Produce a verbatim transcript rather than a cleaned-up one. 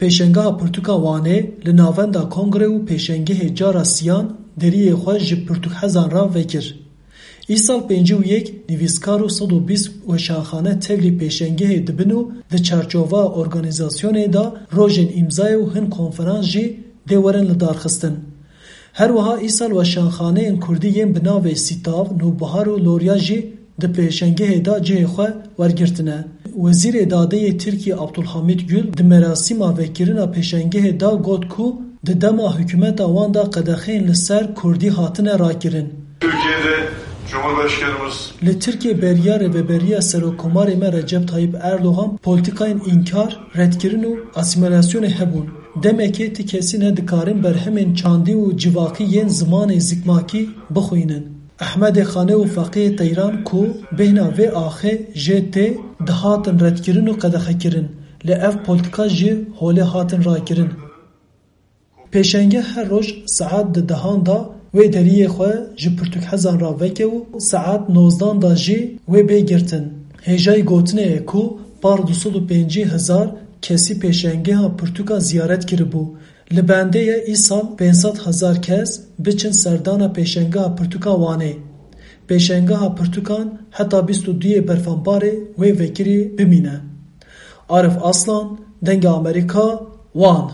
Pêşengeha Pirtûka Wanê li navenda kongre û pêşengehê cara siyan deriyê xwe ji pirtûkhezan re vekir. Îsal pêncî û yek nivîskar û sed û bîst weşanxane tevlî pêşengehê dibin û di çarçoveya organîzasyonê de rojên îmzayê û hin konferans jî dê werin lidarxistin. Her wiha îsal weşanxaneyên kurdî yên bi navê Sîtav, Nûbihar û Lorya jî di pêşengehê de cihê xwe wergirtine. Wezîrê Dadê yê Tirkiyê Abdulhamîd Gül di merasîma vekirina pêşengehê de got ku di dema hikûmeta wan de qedexeyên li ser kurdî hatine rakirin. Türkiye'de Cumhurbaşkanımız Li Tirkiyê beriya Rêveberiya Serokkomarê me Recep Tayyip Erdogan polîtîkayên înkar, redkirin û asîmîlasyonê hebûn. Demekê ti kesî nedikarin berhemên çandî û civakî yên zimanê zikmakî bixwînin. Ehmedê Xanê û Feqiyê Teyran ku bêhna vê axê jê tê, dihatin redkirin û qedexekirin, lê ev polîtîka ji holê hatin rakirin. Pêşenge her roj saet di dehan de wê deriyê xwe ji pirtûkhezan re veke û saet nozdan de jî wê bê girtin. Hêjayî gotinê ye ku par du sed û pêncî hezar kesî pêşengeha pirtûka ziyaret kiribû. Li bendê ye îsal pênc sed hezar kes biçin serdana pêşengeha pirtûka Wanê. Pêşengeha pirtûkan heta bîst û duyê Berfenbarê wê vekirî bimîne. Arif Aslan, Dengê Amerîka, Wan.